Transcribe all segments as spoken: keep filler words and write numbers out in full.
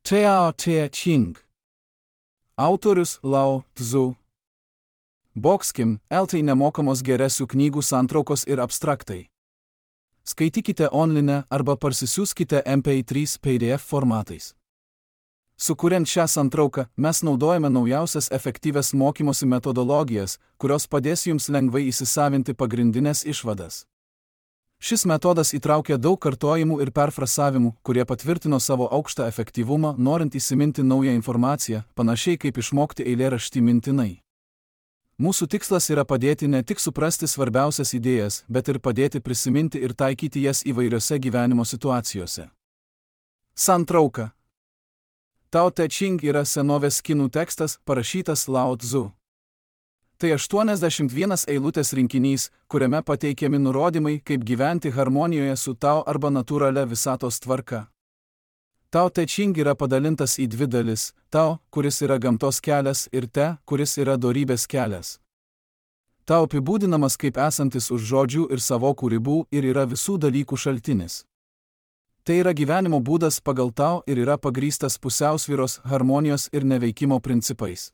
Tao Te Ching. Autorius Lao Tzu. Boxkim, eltai nemokamos geresių knygų santraukos ir abstraktai. Skaitykite online arba parsisiųskite M P trys P D F formatais. Sukuriant šią santrauką, mes naudojame naujausias efektyvias mokymosi metodologijas, kurios padės jums lengvai įsisavinti pagrindinės išvadas. Šis metodas įtraukia daug kartojimų ir perfrasavimų, kurie patvirtino savo aukštą efektyvumą, norint įsiminti naują informaciją, panašiai kaip išmokti eilėraštį mintinai. Mūsų tikslas yra padėti ne tik suprasti svarbiausias idėjas, bet ir padėti prisiminti ir taikyti jas įvairiose gyvenimo situacijose. Santrauka. Tao Te Ching yra senovės kinų tekstas, parašytas Lao Tzu. Tai aštuoniasdešimt vienas eilutės rinkinys, kuriame pateikiami nurodymai, kaip gyventi harmonijoje su Tao arba natūralia visatos tvarka. Tao Te Ching yra padalintas į dvi dalis – Tao, kuris yra gamtos kelias, ir Te, kuris yra dorybės kelias. Tao apibūdinamas kaip esantis už žodžių ir savokų ribų ir yra visų dalykų šaltinis. Tai yra gyvenimo būdas pagal Tao ir yra pagrįstas pusiausvyros, harmonijos ir neveikimo principais.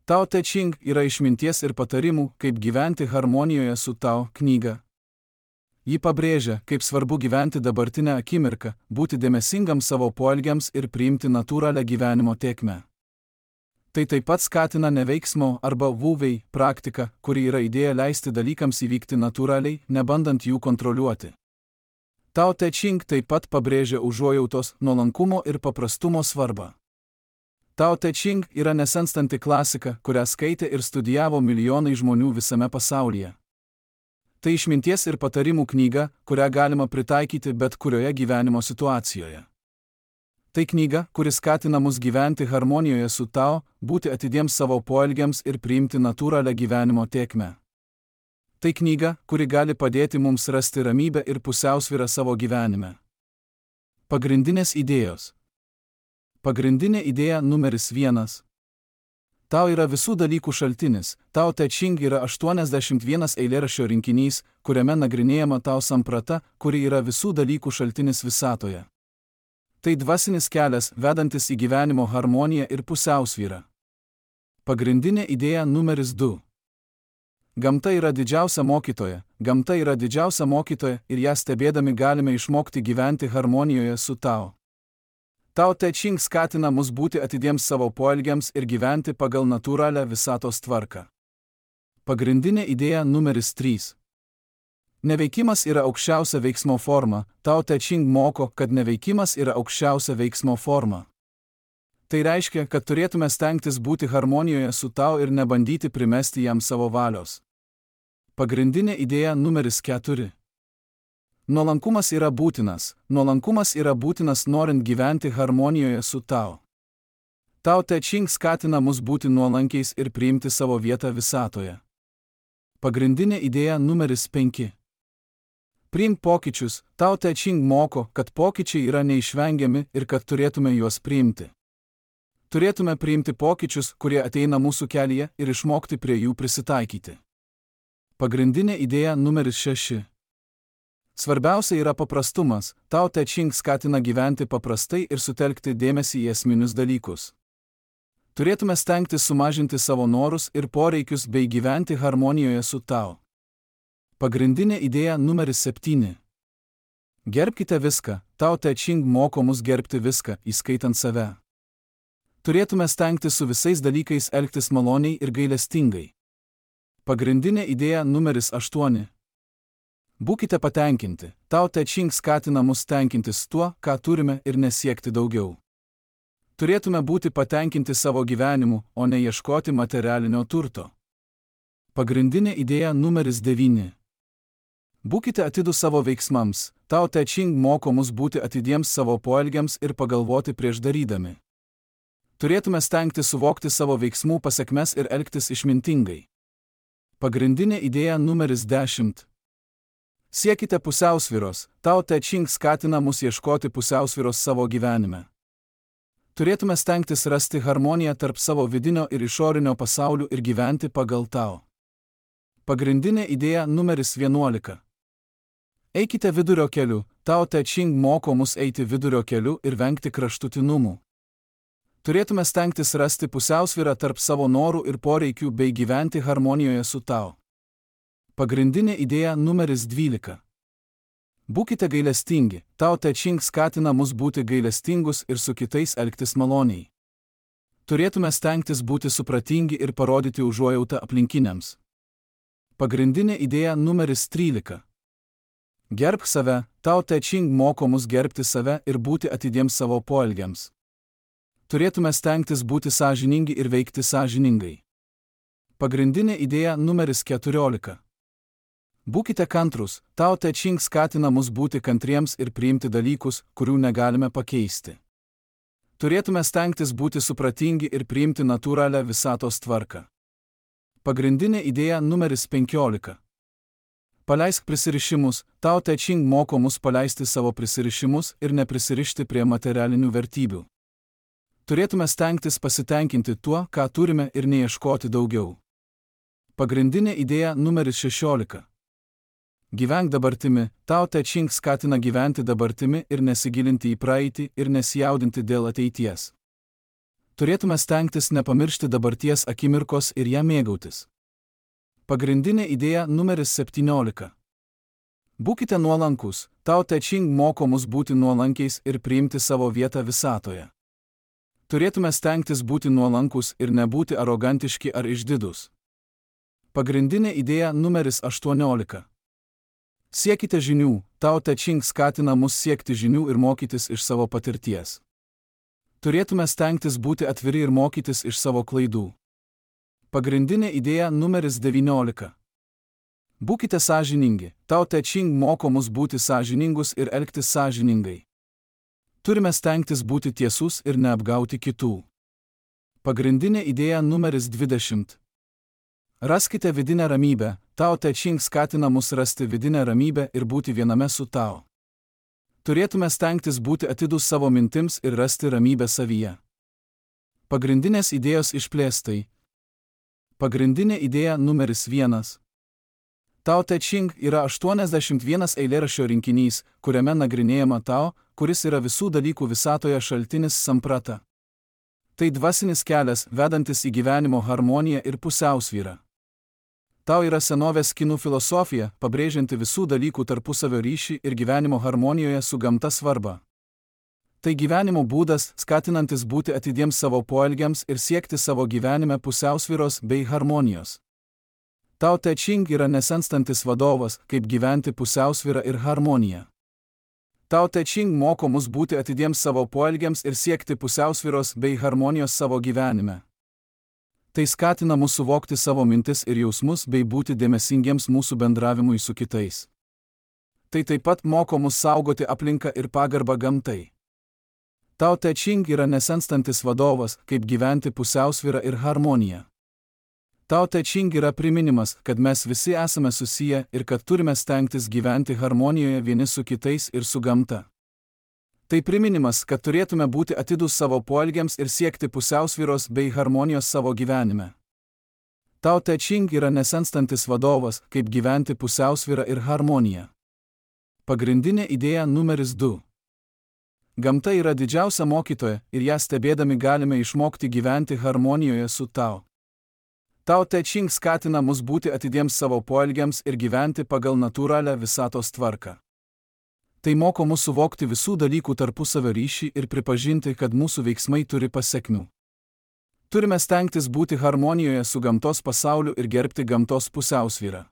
Tao Te Ching yra išminties ir patarimų, kaip gyventi harmonijoje su Tao knyga. Ji pabrėžia, kaip svarbu gyventi dabartinę akimirką, būti dėmesingam savo poelgiams ir priimti natūralią gyvenimo tėkmę. Tai taip pat skatina neveiksmo arba vuvei praktiką, kuri yra idėja leisti dalykams įvykti natūraliai, nebandant jų kontroliuoti. Tao Te Ching taip pat pabrėžia užuojautos, nuolankumo ir paprastumo svarbą. Tao Te Ching yra nesenstanti klasika, kurią skaitė ir studijavo milijonai žmonių visame pasaulyje. Tai išminties ir patarimų knyga, kurią galima pritaikyti bet kurioje gyvenimo situacijoje. Tai knyga, kuri skatina mus gyventi harmonijoje su Tao, būti atidiems savo poelgiams ir priimti natūralią gyvenimo tėkmę. Tai knyga, kuri gali padėti mums rasti ramybę ir pusiausvyrą savo gyvenime. Pagrindinės idėjos. Pagrindinė idėja numeris vienas. Tao yra visų dalykų šaltinis. Tao Te Ching yra aštuoniasdešimt vienas eilėraščio rinkinys, kuriame nagrinėjama Tao samprata, kuri yra visų dalykų šaltinis visatoje. Tai dvasinis kelias, vedantis į gyvenimo harmoniją ir pusiausvyrą. Pagrindinė idėja numeris du. Gamta yra didžiausia mokytoja, gamta yra didžiausia mokytoja ir ją stebėdami galime išmokti gyventi harmonijoje su Tao. Tao Te Ching skatina mus būti atidiems savo poelgiams ir gyventi pagal natūralią visatos tvarką. Pagrindinė idėja numeris trys. Neveikimas yra aukščiausia veiksmo forma. Tao Te Ching moko, kad neveikimas yra aukščiausia veiksmo forma. Tai reiškia, kad turėtume stengtis būti harmonijoje su Tao ir nebandyti primesti jam savo valios. Pagrindinė idėja numeris keturi. Nuolankumas yra būtinas. Nuolankumas yra būtinas norint gyventi harmonijoje su Tao. Tao Te Ching skatina mus būti nuolankiais ir priimti savo vietą visatoje. Pagrindinė idėja numeris penki. Priimk pokyčius. Tao Te Ching moko, kad pokyčiai yra neišvengiami ir kad turėtume juos priimti. Turėtume priimti pokyčius, kurie ateina mūsų kelyje, ir išmokti prie jų prisitaikyti. Pagrindinė idėja numeris šeši. Svarbiausia yra paprastumas. Tao Te Ching skatina gyventi paprastai ir sutelkti dėmesį į esminius dalykus. Turėtume stengtis sumažinti savo norus ir poreikius bei gyventi harmonijoje su Tao. Pagrindinė idėja numeris septyni. Gerbkite viską. Tao Te Ching moko mus gerbti viską, įskaitant save. Turėtume stengtis su visais dalykais elgtis maloniai ir gailestingai. Pagrindinė idėja numeris aštuoni. Būkite patenkinti. Tao Te Ching skatina mus tenkintis tuo, ką turime, ir nesiekti daugiau. Turėtume būti patenkinti savo gyvenimu, o ne ieškoti materialinio turto. Pagrindinė idėja numeris devyni. Būkite atidūs savo veiksmams. Tao Te Ching moko mus būti atidiems savo poelgiams ir pagalvoti prieš darydami. Turėtume stengti suvokti savo veiksmų pasekmes ir elgtis išmintingai. Pagrindinė idėja numeris dešimt. Siekite pusiausvyros. Tao Te Ching skatina mus ieškoti pusiausvyros savo gyvenime. Turėtume stengtis rasti harmoniją tarp savo vidinio ir išorinio pasaulių ir gyventi pagal Tao. Pagrindinė idėja numeris vienuolika. Eikite vidurio keliu. Tao Te Ching moko mus eiti vidurio keliu ir vengti kraštutinumų. Turėtume stengtis rasti pusiausvyrą tarp savo norų ir poreikių bei gyventi harmonijoje su Tau. Pagrindinė idėja numeris dvylika. Būkite gailestingi, Tao Te Ching skatina mus būti gailestingus ir su kitais elgtis maloniai. Turėtume stengtis būti supratingi ir parodyti užuojautą aplinkiniams. Pagrindinė idėja numeris trylika. Gerbk save, Tao Te Ching moko mus gerbti save ir būti atidiems savo poelgiams. Turėtume stengtis būti sąžiningi ir veikti sąžiningai. Pagrindinė idėja numeris keturiolika. Būkite kantrūs, Tao Te Ching skatina mus būti kantriems ir priimti dalykus, kurių negalime pakeisti. Turėtume stengtis būti supratingi ir priimti natūralią visatos tvarką. Pagrindinė idėja numeris penkiolika. Paleisk prisirišimus, Tao Te Ching moko mus paleisti savo prisirišimus ir neprisirišti prie materialinių vertybių. Turėtume stengtis pasitenkinti tuo, ką turime ir neieškoti daugiau. Pagrindinė idėja numeris šešiolika. Gyvenk dabartimi, Tao Te Ching skatina gyventi dabartimi ir nesigilinti į praeitį ir nesijaudinti dėl ateities. Turėtume stengtis nepamiršti dabarties akimirkos ir ją mėgautis. Pagrindinė idėja numeris septyniolika. Būkite nuolankus, Tao Te Ching moko mus būti nuolankiais ir priimti savo vietą visatoje. Turėtume stengtis būti nuolankus ir nebūti arogantiški ar išdidūs. Pagrindinė idėja numeris aštuoniolika. Siekite žinių, Tao Te Ching skatina mus siekti žinių ir mokytis iš savo patirties. Turėtume stengtis būti atviri ir mokytis iš savo klaidų. Pagrindinė idėja numeris devyniolika. Būkite sąžiningi, Tao Te Ching moko mus būti sąžiningus ir elgtis sąžiningai. Turime stengtis būti tiesus ir neapgauti kitų. Pagrindinė idėja numeris dvidešimt. Raskite vidinę ramybę, Tao Te Ching skatina mus rasti vidinę ramybę ir būti viename su Tao. Turėtume stengtis būti atidūs savo mintims ir rasti ramybę savyje. Pagrindinės idėjos išplėstai. Pagrindinė idėja numeris vienas. Tao Te Ching yra aštuoniasdešimt vienas eilėraščio rinkinys, kuriame nagrinėjama Tao, kuris yra visų dalykų visatoje šaltinis samprata. Tai dvasinis kelias, vedantis į gyvenimo harmoniją ir pusiausvyrą. Tao yra senovės kinų filosofija, pabrėžianti visų dalykų tarpusavio ryšį ir gyvenimo harmonijoje su gamta svarbą. Tai gyvenimo būdas, skatinantis būti atidiems savo poelgiams ir siekti savo gyvenime pusiausvyros bei harmonijos. Tao Te Ching yra nesenstantis vadovas, kaip gyventi pusiausvyrą ir harmoniją. Tao Te Ching moko mus būti atidiems savo poelgiams ir siekti pusiausvyros bei harmonijos savo gyvenime. Tai skatina mus suvokti savo mintis ir jausmus bei būti dėmesingiems mūsų bendravimui su kitais. Tai taip pat moko mus saugoti aplinką ir pagarbą gamtai. Tao Te Ching yra nesenstantis vadovas, kaip gyventi pusiausvyrą ir harmoniją. Tao Te Ching yra priminimas, kad mes visi esame susiję ir kad turime stengtis gyventi harmonijoje vieni su kitais ir su gamta. Tai priminimas, kad turėtume būti atidūs savo poelgiams ir siekti pusiausvyros bei harmonijos savo gyvenime. Tao Te Ching yra nesenstantis vadovas, kaip gyventi pusiausvyrą ir harmoniją. Pagrindinė idėja numeris du. Gamta yra didžiausia mokytoja ir ją stebėdami galime išmokti gyventi harmonijoje su Tao. Tao Te Ching skatina mus būti atidiems savo poelgiams ir gyventi pagal natūralią visatos tvarką. Tai moko mus suvokti visų dalykų tarpusavio ryšį ir pripažinti, kad mūsų veiksmai turi pasekmių. Turime stengtis būti harmonijoje su gamtos pasauliu ir gerbti gamtos pusiausvyrą.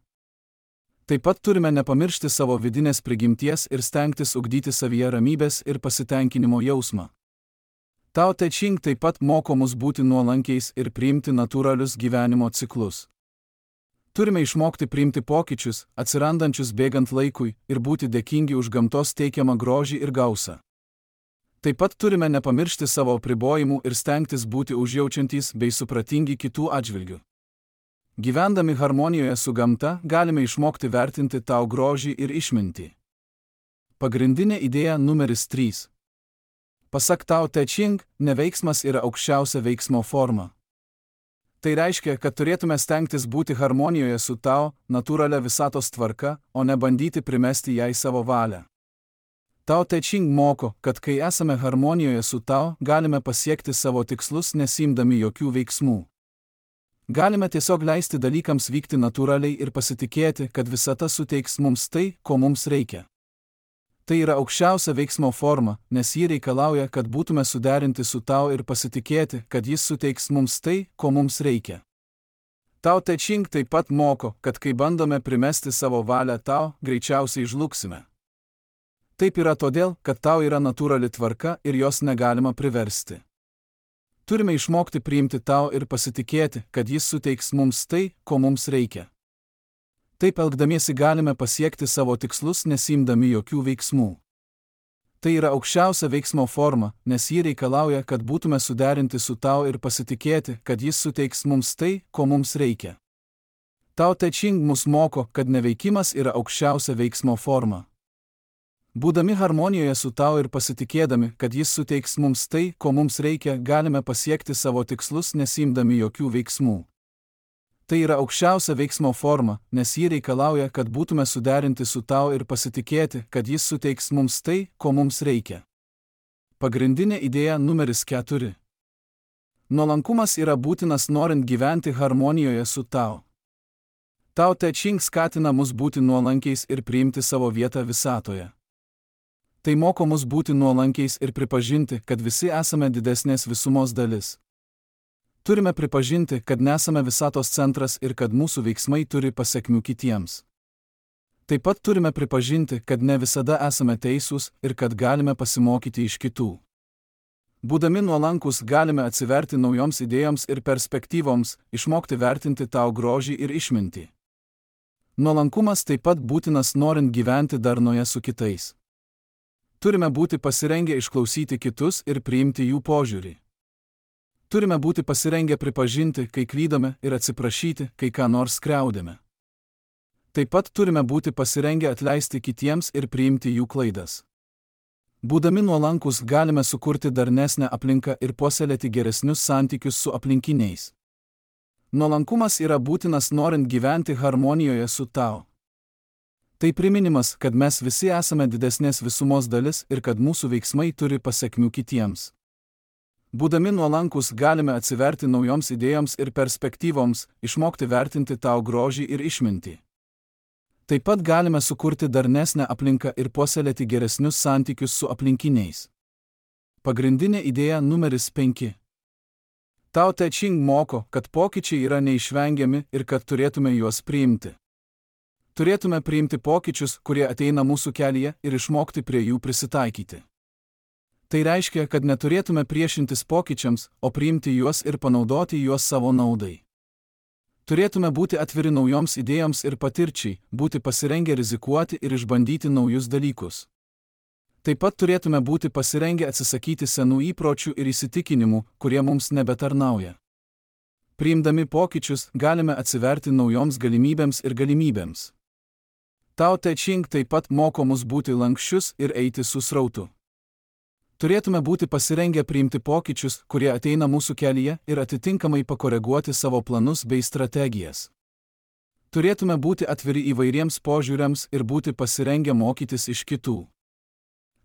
Taip pat turime nepamiršti savo vidinės prigimties ir stengtis ugdyti savyje ramybės ir pasitenkinimo jausmą. Tao Te Ching taip pat moko mus būti nuolankiais ir priimti natūralius gyvenimo ciklus. Turime išmokti priimti pokyčius, atsirandančius bėgant laikui, ir būti dėkingi už gamtos teikiamą grožį ir gausą. Taip pat turime nepamiršti savo apribojimų ir stengtis būti užjaučiantys bei supratingi kitų atžvilgių. Gyvendami harmonijoje su gamta, galime išmokti vertinti Tao grožį ir išmintį. Pagrindinė idėja numeris trys. Pasak Tao Te Ching, neveiksmas yra aukščiausia veiksmo forma. Tai reiškia, kad turėtume stengtis būti harmonijoje su Tao, natūralia visatos tvarka, o ne bandyti primesti jai savo valią. Tao Te Ching moko, kad kai esame harmonijoje su Tao, galime pasiekti savo tikslus nesimdami jokių veiksmų. Galime tiesiog leisti dalykams vykti natūraliai ir pasitikėti, kad visata suteiks mums tai, ko mums reikia. Tai yra aukščiausia veiksmo forma, nes ji reikalauja, kad būtume suderinti su Tao ir pasitikėti, kad jis suteiks mums tai, ko mums reikia. Tao Te Ching taip pat moko, kad kai bandome primesti savo valią Tao, greičiausiai žlugsime. Taip yra todėl, kad Tao yra natūrali tvarka ir jos negalima priversti. Turime išmokti priimti Tao ir pasitikėti, kad jis suteiks mums tai, ko mums reikia. Taip elgdamiesi galime pasiekti savo tikslus nesimdami jokių veiksmų. Tai yra aukščiausia veiksmo forma, nes ji reikalauja, kad būtume suderinti su Tao ir pasitikėti, kad jis suteiks mums tai, ko mums reikia. Tao Te Ching mus moko, kad neveikimas yra aukščiausia veiksmo forma. Būdami harmonijoje su Tao ir pasitikėdami, kad jis suteiks mums tai, ko mums reikia, galime pasiekti savo tikslus nesimdami jokių veiksmų. Tai yra aukščiausia veiksmo forma, nes ji reikalauja, kad būtume suderinti su Tao ir pasitikėti, kad jis suteiks mums tai, ko mums reikia. Pagrindinė idėja numeris keturi. Nuolankumas yra būtinas norint gyventi harmonijoje su Tao. Tao Te Ching skatina mus būti nuolankiais ir priimti savo vietą visatoje. Tai moko mus būti nuolankiais ir pripažinti, kad visi esame didesnės visumos dalis. Turime pripažinti, kad nesame visatos centras ir kad mūsų veiksmai turi pasekmių kitiems. Taip pat turime pripažinti, kad ne visada esame teisūs ir kad galime pasimokyti iš kitų. Būdami nuolankus galime atsiverti naujoms idėjoms ir perspektyvoms, išmokti vertinti Tao grožį ir išmintį. Nuolankumas taip pat būtinas norint gyventi darnoje su kitais. Turime būti pasirengę išklausyti kitus ir priimti jų požiūrį. Turime būti pasirengę pripažinti, kai klydome, ir atsiprašyti, kai ką nors skriaudėme. Taip pat turime būti pasirengę atleisti kitiems ir priimti jų klaidas. Būdami nuolankus galime sukurti darnesnę aplinką ir puoselėti geresnius santykius su aplinkiniais. Nuolankumas yra būtinas norint gyventi harmonijoje su Tao. Tai priminimas, kad mes visi esame didesnės visumos dalis ir kad mūsų veiksmai turi pasekmių kitiems. Būdami nuolankus galime atsiverti naujoms idėjoms ir perspektyvoms, išmokti vertinti Tao grožį ir išmintį. Taip pat galime sukurti darnesnę aplinką ir puoselėti geresnius santykius su aplinkiniais. Pagrindinė idėja numeris penki. Tao Te Ching moko, kad pokyčiai yra neišvengiami ir kad turėtume juos priimti. Turėtume priimti pokyčius, kurie ateina mūsų kelyje, ir išmokti prie jų prisitaikyti. Tai reiškia, kad neturėtume priešintis pokyčiams, o priimti juos ir panaudoti juos savo naudai. Turėtume būti atviri naujoms idėjoms ir patirčiai, būti pasirengę rizikuoti ir išbandyti naujus dalykus. Taip pat turėtume būti pasirengę atsisakyti senų įpročių ir įsitikinimų, kurie mums nebetarnauja. Priimdami pokyčius, galime atsiverti naujoms galimybėms ir galimybėms. Tao Te Ching taip pat moko mus būti lanksčius ir eiti su srautu. Turėtume būti pasirengę priimti pokyčius, kurie ateina mūsų kelyje, ir atitinkamai pakoreguoti savo planus bei strategijas. Turėtume būti atviri įvairiems požiūriams ir būti pasirengę mokytis iš kitų.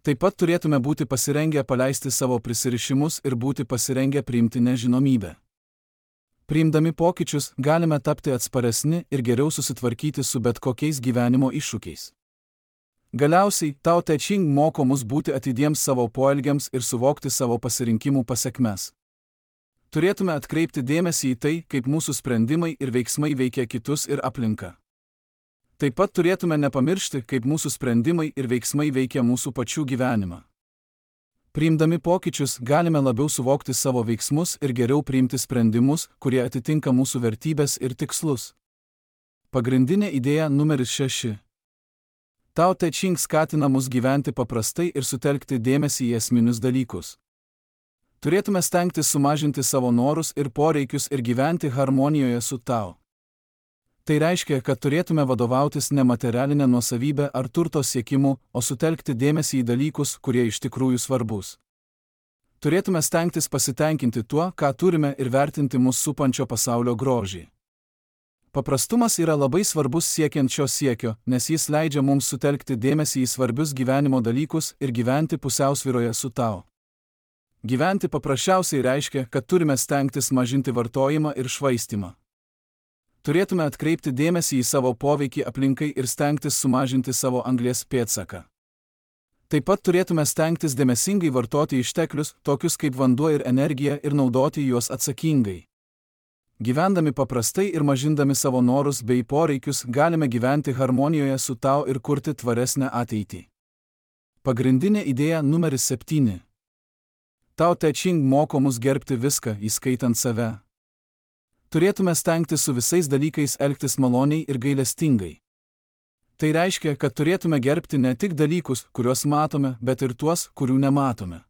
Taip pat turėtume būti pasirengę paleisti savo prisirišimus ir būti pasirengę priimti nežinomybę. Priimdami pokyčius, galime tapti atsparesni ir geriau susitvarkyti su bet kokiais gyvenimo iššūkiais. Galiausiai, Tao Te Ching moko mus būti atidiems savo poelgiams ir suvokti savo pasirinkimų pasekmes. Turėtume atkreipti dėmesį į tai, kaip mūsų sprendimai ir veiksmai veikia kitus ir aplinką. Taip pat turėtume nepamiršti, kaip mūsų sprendimai ir veiksmai veikia mūsų pačių gyvenimą. Priimdami pokyčius, galime labiau suvokti savo veiksmus ir geriau priimti sprendimus, kurie atitinka mūsų vertybės ir tikslus. Pagrindinė idėja numeris šeši. Tao Te Ching skatina mus gyventi paprastai ir sutelkti dėmesį į esminius dalykus. Turėtume stengtis sumažinti savo norus ir poreikius ir gyventi harmonijoje su Tao. Tai reiškia, kad turėtume vadovautis ne materialinę nuosavybę ar turto siekimu, o sutelkti dėmesį į dalykus, kurie iš tikrųjų svarbus. Turėtume stengtis pasitenkinti tuo, ką turime, ir vertinti mus supančio pasaulio grožį. Paprastumas yra labai svarbus siekiant šio siekio, nes jis leidžia mums sutelkti dėmesį į svarbius gyvenimo dalykus ir gyventi pusiausvyroje su tau. Gyventi paprasčiausiai reiškia, kad turime stengtis mažinti vartojimą ir švaistimą. Turėtume atkreipti dėmesį į savo poveikį aplinkai ir stengtis sumažinti savo anglies pėdsaką. Taip pat turėtume stengtis dėmesingai vartoti išteklius, tokius kaip vanduo ir energija, ir naudoti juos atsakingai. Gyvendami paprastai ir mažindami savo norus bei poreikius, galime gyventi harmonijoje su tau ir kurti tvaresnę ateitį. Pagrindinė idėja numeris septyni. Tao Te Ching moko mus gerbti viską, įskaitant save. Turėtume stengtis su visais dalykais elgtis maloniai ir gailestingai. Tai reiškia, kad turėtume gerbti ne tik dalykus, kuriuos matome, bet ir tuos, kurių nematome.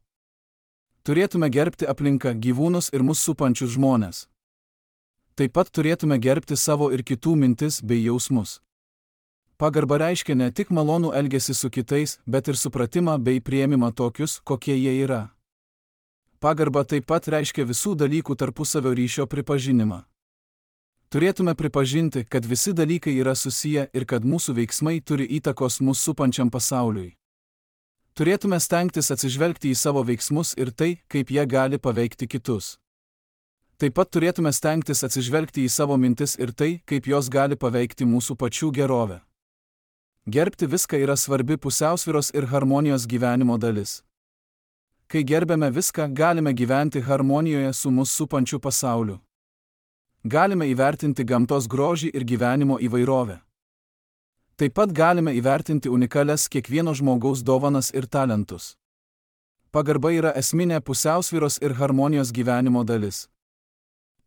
Turėtume gerbti aplinką, gyvūnus ir mus supančius žmones. Taip pat turėtume gerbti savo ir kitų mintis bei jausmus. Pagarba reiškia ne tik malonų elgesį su kitais, bet ir supratimą bei priėmimą tokius, kokie jie yra. Pagarba taip pat reiškia visų dalykų tarpusavio ryšio pripažinimą. Turėtume pripažinti, kad visi dalykai yra susiję ir kad mūsų veiksmai turi įtakos mūsų supančiam pasauliui. Turėtume stengtis atsižvelgti į savo veiksmus ir tai, kaip jie gali paveikti kitus. Taip pat turėtume stengtis atsižvelgti į savo mintis ir tai, kaip jos gali paveikti mūsų pačių gerovę. Gerbti viską yra svarbi pusiausvyros ir harmonijos gyvenimo dalis. Kai gerbėme viską, galime gyventi harmonijoje su mūsų supančiu pasauliu. Galime įvertinti gamtos grožį ir gyvenimo įvairovę. Taip pat galime įvertinti unikalias kiekvieno žmogaus dovanas ir talentus. Pagarba yra esminė pusiausvyros ir harmonijos gyvenimo dalis.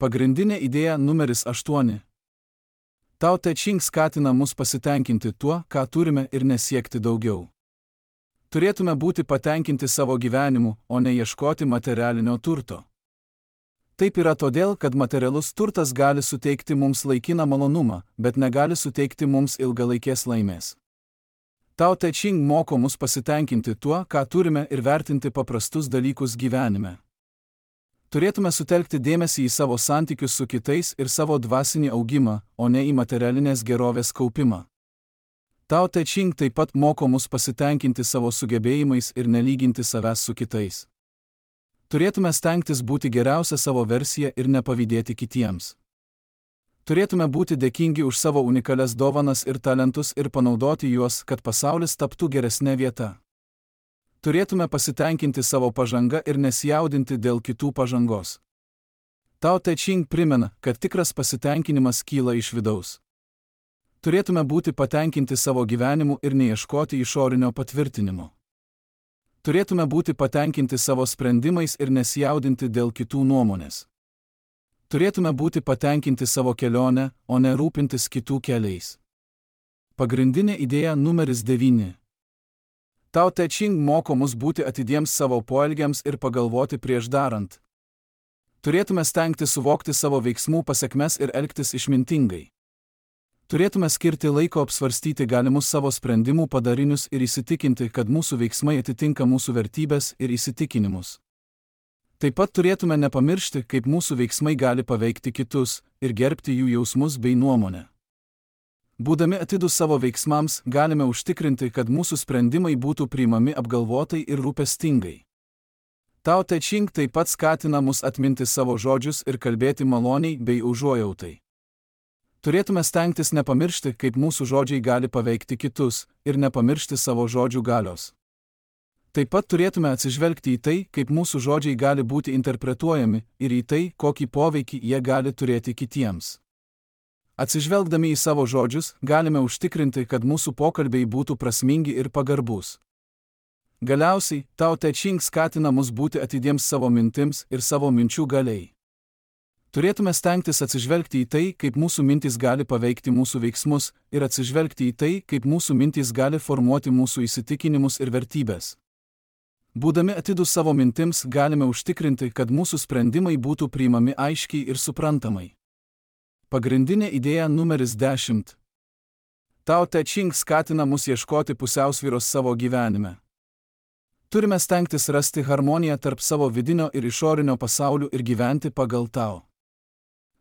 Pagrindinė idėja numeris aštuoni. Tao Te Ching skatina mus pasitenkinti tuo, ką turime ir nesiekti daugiau. Turėtume būti patenkinti savo gyvenimu, o ne ieškoti materialinio turto. Taip yra todėl, kad materialus turtas gali suteikti mums laikiną malonumą, bet negali suteikti mums ilgalaikės laimės. Tao Te Ching moko mus pasitenkinti tuo, ką turime ir vertinti paprastus dalykus gyvenime. Turėtume sutelkti dėmesį į savo santykius su kitais ir savo dvasinį augimą, o ne į materialinės gerovės kaupimą. Tao Te Ching taip pat moko mus pasitenkinti savo sugebėjimais ir nelyginti savęs su kitais. Turėtume stengtis būti geriausia savo versija ir nepavydėti kitiems. Turėtume būti dėkingi už savo unikalias dovanas ir talentus ir panaudoti juos, kad pasaulis taptų geresnė vieta. Turėtume pasitenkinti savo pažanga ir nesijaudinti dėl kitų pažangos. Tao Te Ching primena, kad tikras pasitenkinimas kyla iš vidaus. Turėtume būti patenkinti savo gyvenimu ir neieškoti išorinio patvirtinimo. Turėtume būti patenkinti savo sprendimais ir nesijaudinti dėl kitų nuomonės. Turėtume būti patenkinti savo kelionę, o ne rūpintis kitų keliais. Pagrindinė idėja numeris devyni. Tao Te Ching moko mus būti atidiems savo poelgiams ir pagalvoti prieš darant. Turėtume stengti suvokti savo veiksmų pasekmes ir elgtis išmintingai. Turėtume skirti laiko apsvarstyti galimus savo sprendimų padarinius ir įsitikinti, kad mūsų veiksmai atitinka mūsų vertybės ir įsitikinimus. Taip pat turėtume nepamiršti, kaip mūsų veiksmai gali paveikti kitus ir gerbti jų jausmus bei nuomonę. Būdami atidūs savo veiksmams, galime užtikrinti, kad mūsų sprendimai būtų priimami apgalvotai ir rūpestingai. Tao Te Ching taip pat skatina mus atminti savo žodžius ir kalbėti maloniai bei užuojautai. Turėtume stengtis nepamiršti, kaip mūsų žodžiai gali paveikti kitus, ir nepamiršti savo žodžių galios. Taip pat turėtume atsižvelgti į tai, kaip mūsų žodžiai gali būti interpretuojami, ir į tai, kokį poveikį jie gali turėti kitiems. Atsižvelgdami į savo žodžius, galime užtikrinti, kad mūsų pokalbiai būtų prasmingi ir pagarbus. Galiausiai, Tao Te Ching skatina mus būti atidiems savo mintims ir savo minčių galiai. Turėtume stengtis atsižvelgti į tai, kaip mūsų mintys gali paveikti mūsų veiksmus, ir atsižvelgti į tai, kaip mūsų mintys gali formuoti mūsų įsitikinimus ir vertybės. Būdami atidūs savo mintims, galime užtikrinti, kad mūsų sprendimai būtų priimami aiškiai ir suprantamai. Pagrindinė idėja numeris dešimt. Tao Te Ching skatina mus ieškoti pusiausvyros savo gyvenime. Turime stengtis rasti harmoniją tarp savo vidinio ir išorinio pasaulių ir gyventi pagal Tao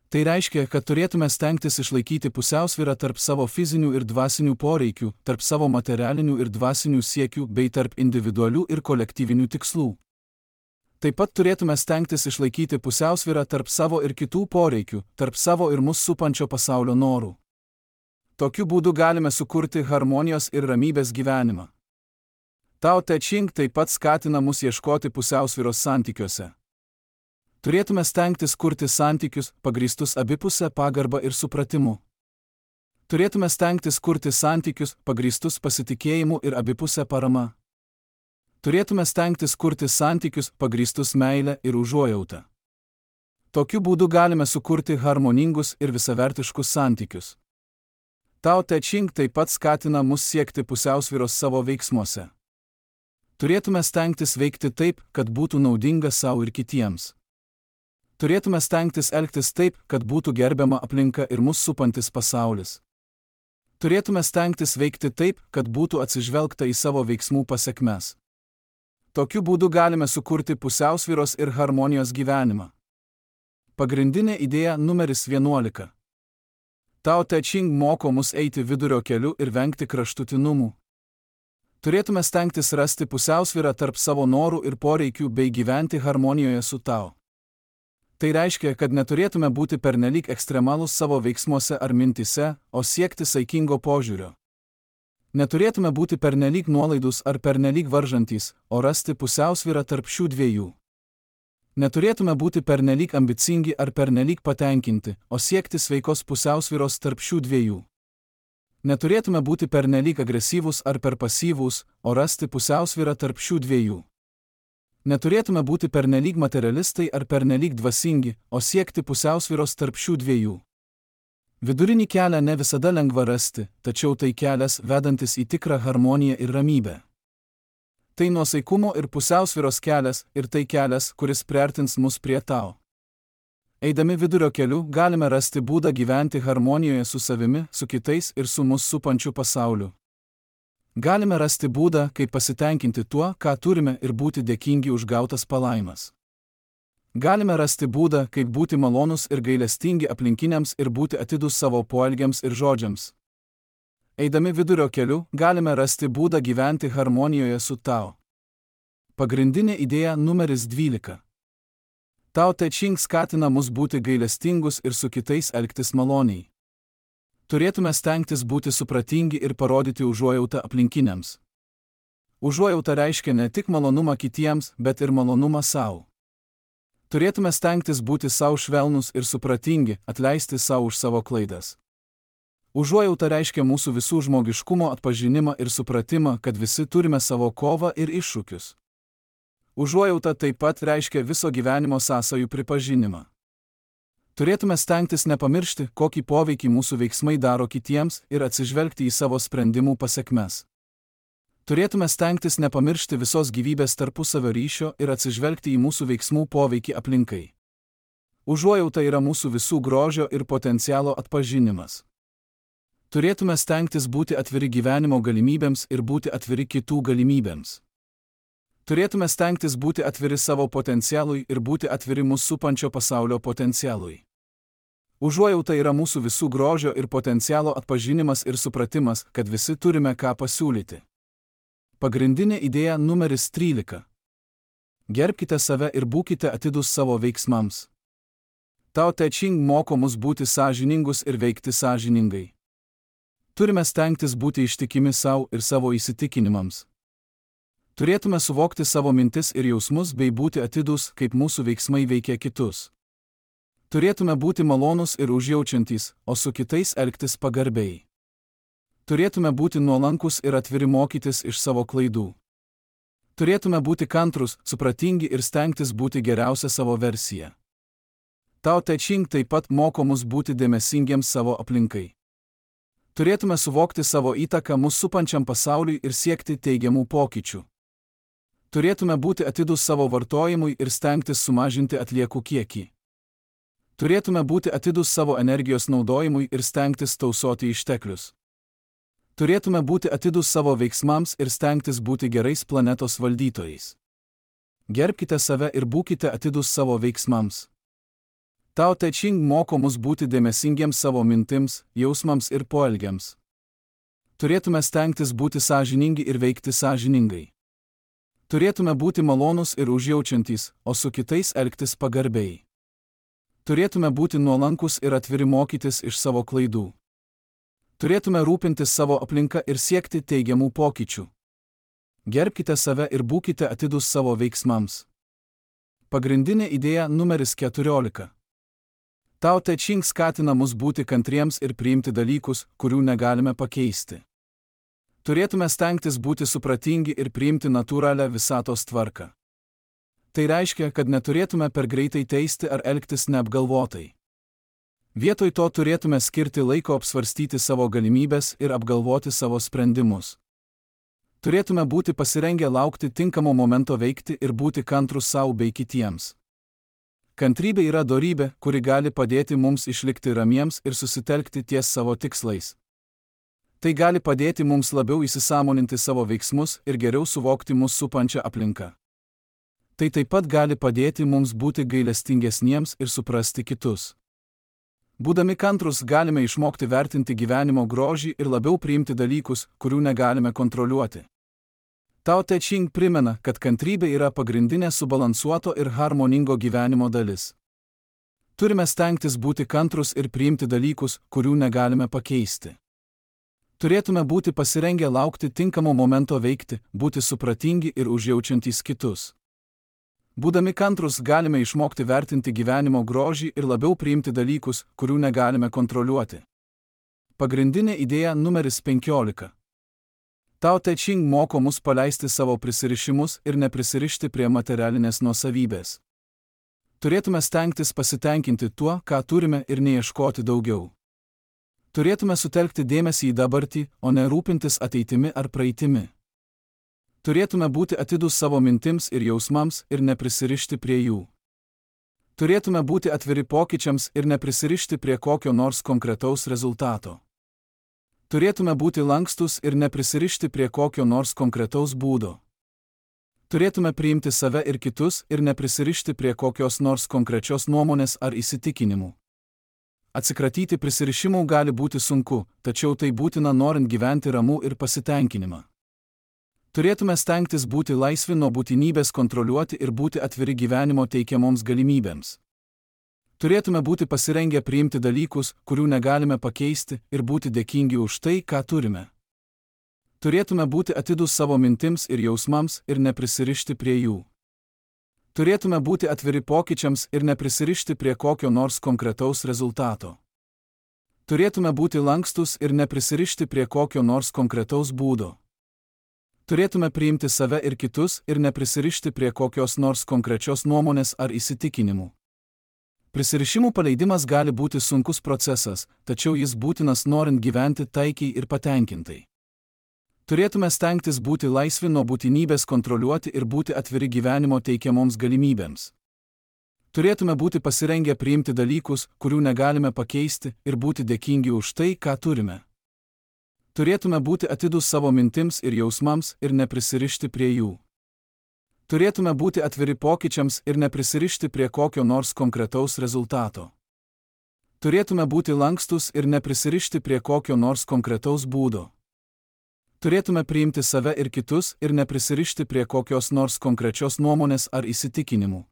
Tai reiškia, kad turėtume stengtis išlaikyti pusiausvyrą tarp savo fizinių ir dvasinių poreikių, tarp savo materialinių ir dvasinių siekių bei tarp individualių ir kolektyvinių tikslų. Taip pat turėtume stengtis išlaikyti pusiausvyrą tarp savo ir kitų poreikių, tarp savo ir mus supančio pasaulio norų. Tokiu būdu galime sukurti harmonijos ir ramybės gyvenimą. Tao Te Ching taip pat skatina mus ieškoti pusiausvyros santykiuose. Turėtume stengtis kurti santykius, pagrįstus abipusę pagarbą ir supratimu. Turėtume stengtis kurti santykius, pagrįstus pasitikėjimu ir abipusę parama. Turėtume stengtis kurti santykius, pagrįstus meile ir užuojautą. Tokiu būdu galime sukurti harmoningus ir visavertiškus santykius. Tao Te Ching taip pat skatina mus siekti pusiausvyros savo veiksmuose. Turėtume stengtis veikti taip, kad būtų naudinga sau ir kitiems. Turėtume stengtis elgtis taip, kad būtų gerbiama aplinka ir mus supantis pasaulis. Turėtume stengtis veikti taip, kad būtų atsižvelgta į savo veiksmų pasekmes. Tokiu būdu galime sukurti pusiausvyros ir harmonijos gyvenimą. Pagrindinė idėja numeris vienuolika. Tao Te Ching moko mus eiti vidurio keliu ir vengti kraštutinumų. Turėtume stengtis rasti pusiausvyrą tarp savo norų ir poreikių bei gyventi harmonijoje su Tao. Tai reiškia, kad neturėtume būti pernelyg ekstremalūs savo veiksmuose ar mintise, o siekti saikingo požiūrio. Neturėtume būti pernelyg nuolaidūs ar pernelyg varžantys, o rasti pusiausvyrą tarp šių dviejų. Neturėtume būti pernelyg ambicingi ar pernelyg patenkinti, o siekti sveikos pusiausvyros tarp šių dviejų. Neturėtume būti pernelyg agresyvūs ar per pasyvūs, o rasti pusiausvyrą tarp šių dviejų. Neturėtume būti pernelyg materialistai ar pernelyg dvasingi, o siekti pusiausvyros tarp šių dviejų. Vidurinį kelią ne visada lengva rasti, tačiau tai kelias vedantis į tikrą harmoniją ir ramybę. Tai nuosaikumo ir pusiausvyros kelias ir tai kelias, kuris priartins mus prie Tao. Eidami vidurio keliu galime rasti būdą gyventi harmonijoje su savimi, su kitais ir su mus supančiu pasauliu. Galime rasti būdą, kaip pasitenkinti tuo, ką turime ir būti dėkingi už gautas palaimas. Galime rasti būdą, kaip būti malonus ir gailestingi aplinkiniams ir būti atidūs savo poelgiams ir žodžiams. Eidami vidurio keliu, galime rasti būdą gyventi harmonijoje su Tao. Pagrindinė idėja numeris dvylika. Tao Te Ching skatina mus būti gailestingus ir su kitais elgtis maloniai. Turėtume stengtis būti supratingi ir parodyti užuojautą aplinkiniams. Užuojauta reiškia ne tik malonumą kitiems, bet ir malonumą sau. Turėtume stengtis būti sau švelnus ir supratingi, atleisti sau už savo klaidas. Užuojauta reiškia mūsų visų žmogiškumo atpažinimą ir supratimą, kad visi turime savo kovą ir iššūkius. Užuojauta taip pat reiškia viso gyvenimo sąsajų pripažinimą. Turėtume stengtis nepamiršti, kokį poveikį mūsų veiksmai daro kitiems ir atsižvelgti į savo sprendimų pasekmes. Turėtume stengtis nepamiršti visos gyvybės tarpusavio ryšio ir atsižvelgti į mūsų veiksmų poveikį aplinkai. Užuojauta yra mūsų visų grožio ir potencialo atpažinimas. Turėtume stengtis būti atviri gyvenimo galimybėms ir būti atviri kitų galimybėms. Turėtume stengtis būti atviri savo potencialui ir būti atviri mūsų supančio pasaulio potencialui. Užuojauta yra mūsų visų grožio ir potencialo atpažinimas ir supratimas, kad visi turime ką pasiūlyti. Pagrindinė idėja numeris trylika. Gerbkite save ir būkite atidūs savo veiksmams. Tao Te Ching moko mus būti sąžiningus ir veikti sąžiningai. Turime stengtis būti ištikimi savo ir savo įsitikinimams. Turėtume suvokti savo mintis ir jausmus bei būti atidūs, kaip mūsų veiksmai veikia kitus. Turėtume būti malonūs ir užjaučiantys, o su kitais elgtis pagarbiai. Turėtume būti nuolankus ir atviri mokytis iš savo klaidų. Turėtume būti kantrus, supratingi ir stengtis būti geriausia savo versija. Tao Te Ching taip pat moko mus būti dėmesingiems savo aplinkai. Turėtume suvokti savo įtaką mūsų supančiam pasauliui ir siekti teigiamų pokyčių. Turėtume būti atidūs savo vartojimui ir stengtis sumažinti atliekų kiekį. Turėtume būti atidūs savo energijos naudojimui ir stengtis tausoti išteklius. Turėtume būti atidūs savo veiksmams ir stengtis būti gerais planetos valdytojais. Gerbkite save ir būkite atidūs savo veiksmams. Tao Te Ching moko mus būti dėmesingiems savo mintims, jausmams ir poelgiams. Turėtume stengtis būti sąžiningi ir veikti sąžiningai. Turėtume būti malonūs ir užjaučiantys, o su kitais elgtis pagarbiai. Turėtume būti nuolankus ir atviri mokytis iš savo klaidų. Turėtume rūpintis savo aplinka ir siekti teigiamų pokyčių. Gerbkite save ir būkite atidūs savo veiksmams. Pagrindinė idėja numeris keturiolika. Tao Te Ching skatina mus būti kantriems ir priimti dalykus, kurių negalime pakeisti. Turėtume stengtis būti supratingi ir priimti natūralią visatos tvarką. Tai reiškia, kad neturėtume per greitai teisti ar elgtis neapgalvotai. Vietoj to turėtume skirti laiko apsvarstyti savo galimybes ir apgalvoti savo sprendimus. Turėtume būti pasirengę laukti tinkamo momento veikti ir būti kantrus savo bei kitiems. Kantrybė yra dorybė, kuri gali padėti mums išlikti ramiems ir susitelkti ties savo tikslais. Tai gali padėti mums labiau įsisąmoninti savo veiksmus ir geriau suvokti mus supančią aplinką. Tai taip pat gali padėti mums būti gailestingesniems ir suprasti kitus. Būdami kantrus galime išmokti vertinti gyvenimo grožį ir labiau priimti dalykus, kurių negalime kontroliuoti. Tao Te Ching primena, kad kantrybė yra pagrindinė subalansuoto ir harmoningo gyvenimo dalis. Turime stengtis būti kantrus ir priimti dalykus, kurių negalime pakeisti. Turėtume būti pasirengę laukti tinkamo momento veikti, būti supratingi ir užjaučiantys kitus. Būdami kantrus galime išmokti vertinti gyvenimo grožį ir labiau priimti dalykus, kurių negalime kontroliuoti. Pagrindinė idėja numeris penkiolika. Tao Te Ching moko mus paleisti savo prisirišimus ir neprisirišti prie materialinės nuosavybės. Turėtume stengtis pasitenkinti tuo, ką turime ir neieškoti daugiau. Turėtume sutelkti dėmesį į dabartį, o ne rūpintis ateitimi ar praeitimi. Turėtume būti atidūs savo mintims ir jausmams ir neprisirišti prie jų. Turėtume būti atviri pokyčiams ir neprisirišti prie kokio nors konkretaus rezultato. Turėtume būti lankstus ir neprisirišti prie kokio nors konkretaus būdo. Turėtume priimti save ir kitus ir neprisirišti prie kokios nors konkrečios nuomonės ar įsitikinimų. Atsikratyti prisirišimų gali būti sunku, tačiau tai būtina norint gyventi ramų ir pasitenkinimą. Turėtume stengtis būti laisvi nuo būtinybės kontroliuoti ir būti atviri gyvenimo teikiamoms galimybėms. Turėtume būti pasirengę priimti dalykus, kurių negalime pakeisti, ir būti dėkingi už tai, ką turime. Turėtume būti atidūs savo mintims ir jausmams ir neprisirišti prie jų. Turėtume būti atviri pokyčiams ir neprisirišti prie kokio nors konkretaus rezultato. Turėtume būti lankstus ir neprisirišti prie kokio nors konkretaus būdo. Turėtume priimti save ir kitus ir neprisirišti prie kokios nors konkrečios nuomonės ar įsitikinimų. Prisirišimų paleidimas gali būti sunkus procesas, tačiau jis būtinas norint gyventi taikiai ir patenkintai. Turėtume stengtis būti laisvi nuo būtinybės kontroliuoti ir būti atviri gyvenimo teikiamoms galimybėms. Turėtume būti pasirengę priimti dalykus, kurių negalime pakeisti, ir būti dėkingi už tai, ką turime. Turėtume būti atidūs savo mintims ir jausmams ir neprisirišti prie jų. Turėtume būti atviri pokyčiams ir neprisirišti prie kokio nors konkretaus rezultato. Turėtume būti lankstus ir neprisirišti prie kokio nors konkretaus būdo. Turėtume priimti save ir kitus ir neprisirišti prie kokios nors konkrečios nuomonės ar įsitikinimų.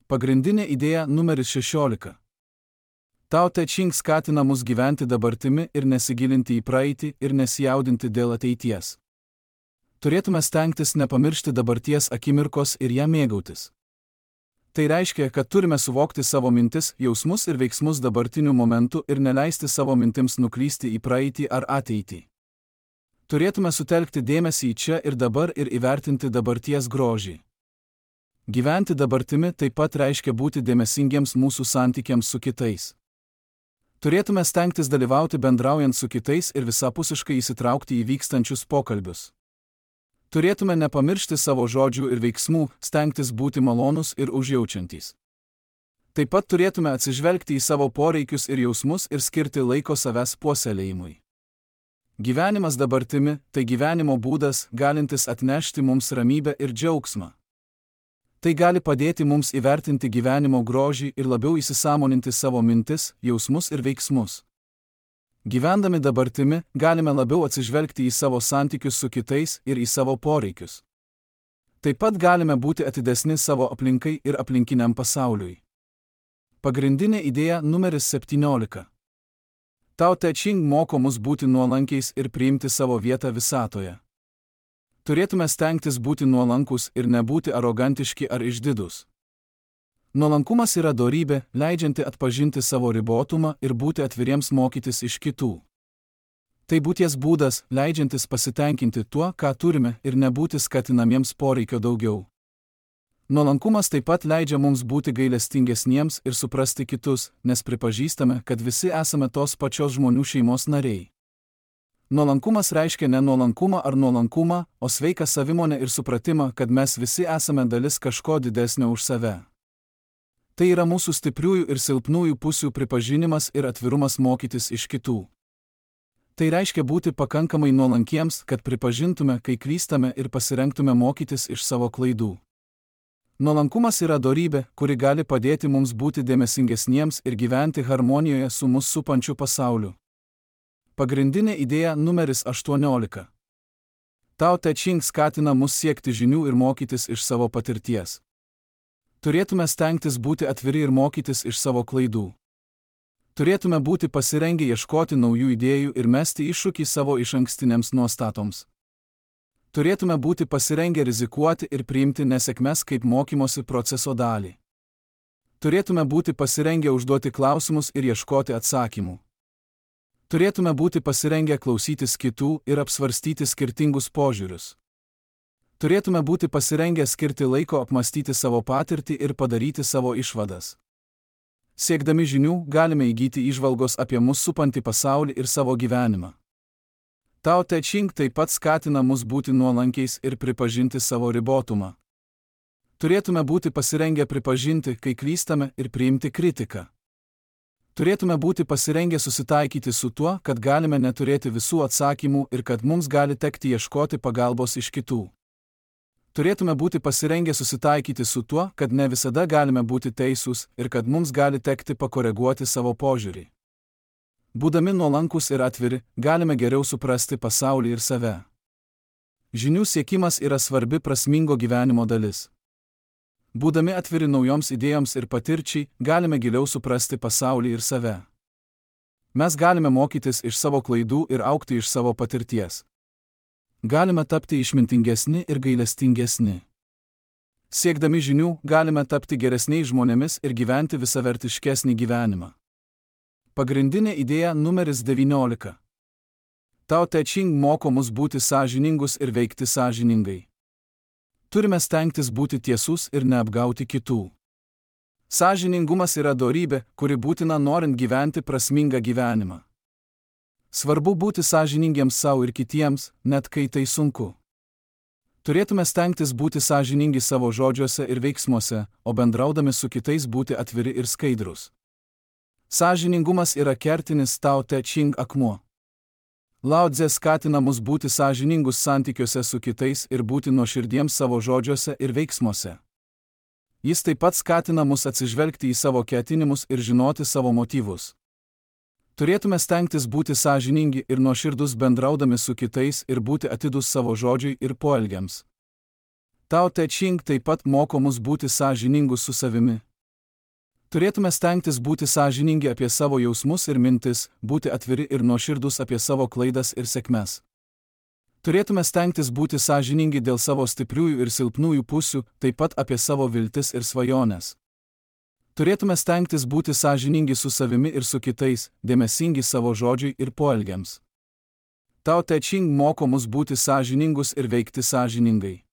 Pagrindinė idėja numeris šešiolika. Tao Te Ching skatina mus gyventi dabartimi ir nesigilinti į praeitį ir nesijaudinti dėl ateities. Turėtume stengtis nepamiršti dabarties akimirkos ir ją mėgautis. Tai reiškia, kad turime suvokti savo mintis, jausmus ir veiksmus dabartiniu momentu ir neleisti savo mintims nuklysti į praeitį ar ateitį. Turėtume sutelkti dėmesį į čia ir dabar ir įvertinti dabarties grožį. Gyventi dabartimi taip pat reiškia būti dėmesingiems mūsų santykiams su kitais. Turėtume stengtis dalyvauti bendraujant su kitais ir visapusiškai įsitraukti į vykstančius pokalbius. Turėtume nepamiršti savo žodžių ir veiksmų, stengtis būti malonūs ir užjaučiantys. Taip pat turėtume atsižvelgti į savo poreikius ir jausmus ir skirti laiko savęs puoselėjimui. Gyvenimas dabartimi – tai gyvenimo būdas, galintis atnešti mums ramybę ir džiaugsmą. Tai gali padėti mums įvertinti gyvenimo grožį ir labiau įsisąmoninti savo mintis, jausmus ir veiksmus. Gyvendami dabartimi, galime labiau atsižvelgti į savo santykius su kitais ir į savo poreikius. Taip pat galime būti atidesni savo aplinkai ir aplinkiniam pasauliui. Pagrindinė idėja numeris septyniolika. Tao Te Ching moko mus būti nuolankiais ir priimti savo vietą visatoje. Turėtume stengtis būti nuolankus ir nebūti arogantiški ar išdidūs. Nuolankumas yra dorybė, leidžianti atpažinti savo ribotumą ir būti atviriems mokytis iš kitų. Tai būties būdas, leidžiantis pasitenkinti tuo, ką turime, ir nebūti skatinamiems poreikio daugiau. Nuolankumas taip pat leidžia mums būti gailestingesniems ir suprasti kitus, nes pripažįstame, kad visi esame tos pačios žmonių šeimos nariai. Nuolankumas reiškia ne nuolankumą ar nuolankumą, o sveiką savimonę ir supratimą, kad mes visi esame dalis kažko didesnio už save. Tai yra mūsų stipriųjų ir silpnųjų pusių pripažinimas ir atvirumas mokytis iš kitų. Tai reiškia būti pakankamai nuolankiems, kad pripažintume, kai klystame ir pasirengtume mokytis iš savo klaidų. Nuolankumas yra dorybė, kuri gali padėti mums būti dėmesingesniems ir gyventi harmonijoje su mus supančiu pasauliu. Pagrindinė idėja numeris aštuoniolika. Tao Te Ching skatina mus siekti žinių ir mokytis iš savo patirties. Turėtume stengtis būti atviri ir mokytis iš savo klaidų. Turėtume būti pasirengę ieškoti naujų idėjų ir mesti iššūkį savo išankstinėms nuostatoms. Turėtume būti pasirengę rizikuoti ir priimti nesėkmes kaip mokymosi proceso dalį. Turėtume būti pasirengę užduoti klausimus ir ieškoti atsakymų. Turėtume būti pasirengę klausytis kitų ir apsvarstyti skirtingus požiūrius. Turėtume būti pasirengę skirti laiko apmastyti savo patirtį ir padaryti savo išvadas. Siekdami žinių, galime įgyti įžvalgos apie mus supantį pasaulį ir savo gyvenimą. Tao Te Ching taip pat skatina mus būti nuolankiais ir pripažinti savo ribotumą. Turėtume būti pasirengę pripažinti, kai klystame, ir priimti kritiką. Turėtume būti pasirengę susitaikyti su tuo, kad galime neturėti visų atsakymų ir kad mums gali tekti ieškoti pagalbos iš kitų. Turėtume būti pasirengę susitaikyti su tuo, kad ne visada galime būti teisūs ir kad mums gali tekti pakoreguoti savo požiūrį. Būdami nuolankus ir atviri, galime geriau suprasti pasaulį ir save. Žinių siekimas yra svarbi prasmingo gyvenimo dalis. Būdami atviri naujoms idėjoms ir patirčiai, galime giliau suprasti pasaulį ir save. Mes galime mokytis iš savo klaidų ir augti iš savo patirties. Galime tapti išmintingesni ir gailestingesni. Siekdami žinių, galime tapti geresniais žmonėmis ir gyventi visavertiškesnį gyvenimą. Pagrindinė idėja numeris devyniolika. Tao Te Ching moko mus būti sąžiningus ir veikti sąžiningai. Turime stengtis būti tiesus ir neapgauti kitų. Sąžiningumas yra dorybė, kuri būtina norint gyventi prasmingą gyvenimą. Svarbu būti sąžiningiems savo ir kitiems, net kai tai sunku. Turėtume stengtis būti sąžiningi savo žodžiuose ir veiksmuose, o bendraudami su kitais būti atviri ir skaidrūs. Sąžiningumas yra kertinis Tao Te Ching akmuo. Lao Tze skatina mus būti sąžiningus santykiuose su kitais ir būti nuoširdiems savo žodžiuose ir veiksmuose. Jis taip pat skatina mus atsižvelgti į savo ketinimus ir žinoti savo motyvus. Turėtume stengtis būti sąžiningi ir nuoširdus bendraudami su kitais ir būti atidūs savo žodžiui ir poelgiams. Tao Te Ching taip pat moko mus būti sąžiningus su savimi. Turėtume stengtis būti sąžiningi apie savo jausmus ir mintis, būti atviri ir nuoširdus apie savo klaidas ir sėkmes. Turėtume stengtis būti sąžiningi dėl savo stipriųjų ir silpnųjų pusių, taip pat apie savo viltis ir svajones. Turėtume stengtis būti sąžiningi su savimi ir su kitais, dėmesingi savo žodžiui ir poelgiams. Tao Te Ching moko mus būti sąžiningus ir veikti sąžiningai.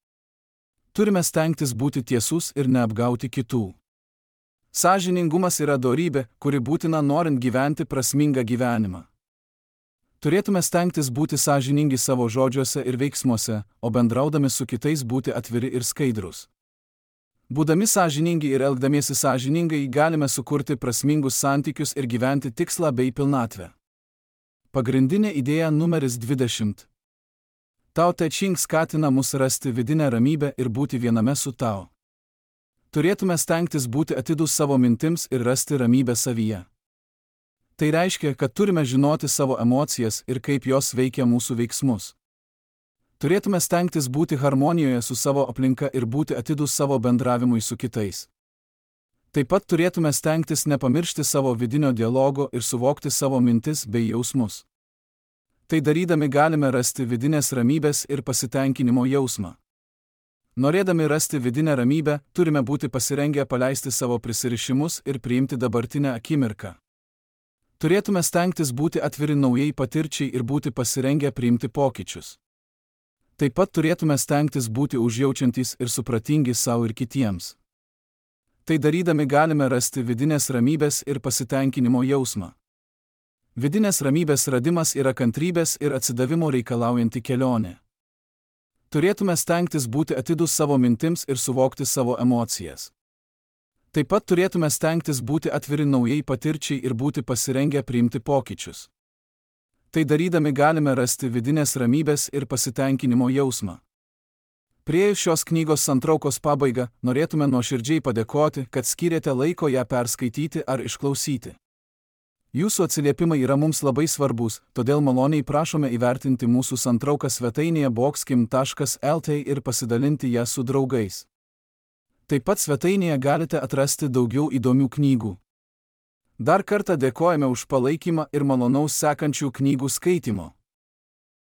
Turime stengtis būti tiesus ir neapgauti kitų. Sąžiningumas yra dorybė, kuri būtina norint gyventi prasmingą gyvenimą. Turėtume stengtis būti sąžiningi savo žodžiuose ir veiksmuose, o bendraudami su kitais būti atviri ir skaidrūs. Būdami sąžiningi ir elgdamiesi sąžiningai, galime sukurti prasmingus santykius ir gyventi tikslą bei pilnatvę. Pagrindinė idėja numeris dvidešimt. Tao Te Ching skatina mus rasti vidinę ramybę ir būti viename su Tao. Turėtume stengtis būti atidūs savo mintims ir rasti ramybę savyje. Tai reiškia, kad turime žinoti savo emocijas ir kaip jos veikia mūsų veiksmus. Turėtume stengtis būti harmonijoje su savo aplinka ir būti atidūs savo bendravimui su kitais. Taip pat turėtume stengtis nepamiršti savo vidinio dialogo ir suvokti savo mintis bei jausmus. Tai darydami galime rasti vidinės ramybės ir pasitenkinimo jausmą. Norėdami rasti vidinę ramybę, turime būti pasirengę paleisti savo prisirišimus ir priimti dabartinę akimirką. Turėtume stengtis būti atviri naujai patirčiai ir būti pasirengę priimti pokyčius. Taip pat turėtume stengtis būti užjaučiantys ir supratingi savo ir kitiems. Tai darydami galime rasti vidinės ramybės ir pasitenkinimo jausmą. Vidinės ramybės radimas yra kantrybės ir atsidavimo reikalaujanti kelionė. Turėtume stengtis būti atidūs savo mintims ir suvokti savo emocijas. Taip pat turėtume stengtis būti atviri naujai patirčiai ir būti pasirengę priimti pokyčius. Tai darydami galime rasti vidinės ramybės ir pasitenkinimo jausmą. Priėjus šios knygos santraukos pabaigą, norėtume nuoširdžiai padėkoti, kad skyrėte laiko ją perskaityti ar išklausyti. Jūsų atsiliepimai yra mums labai svarbus, todėl maloniai prašome įvertinti mūsų santrauką svetainėje boxkim taškas el t ir pasidalinti ją su draugais. Taip pat svetainėje galite atrasti daugiau įdomių knygų. Dar kartą dėkojame už palaikymą ir malonaus sekančių knygų skaitimo.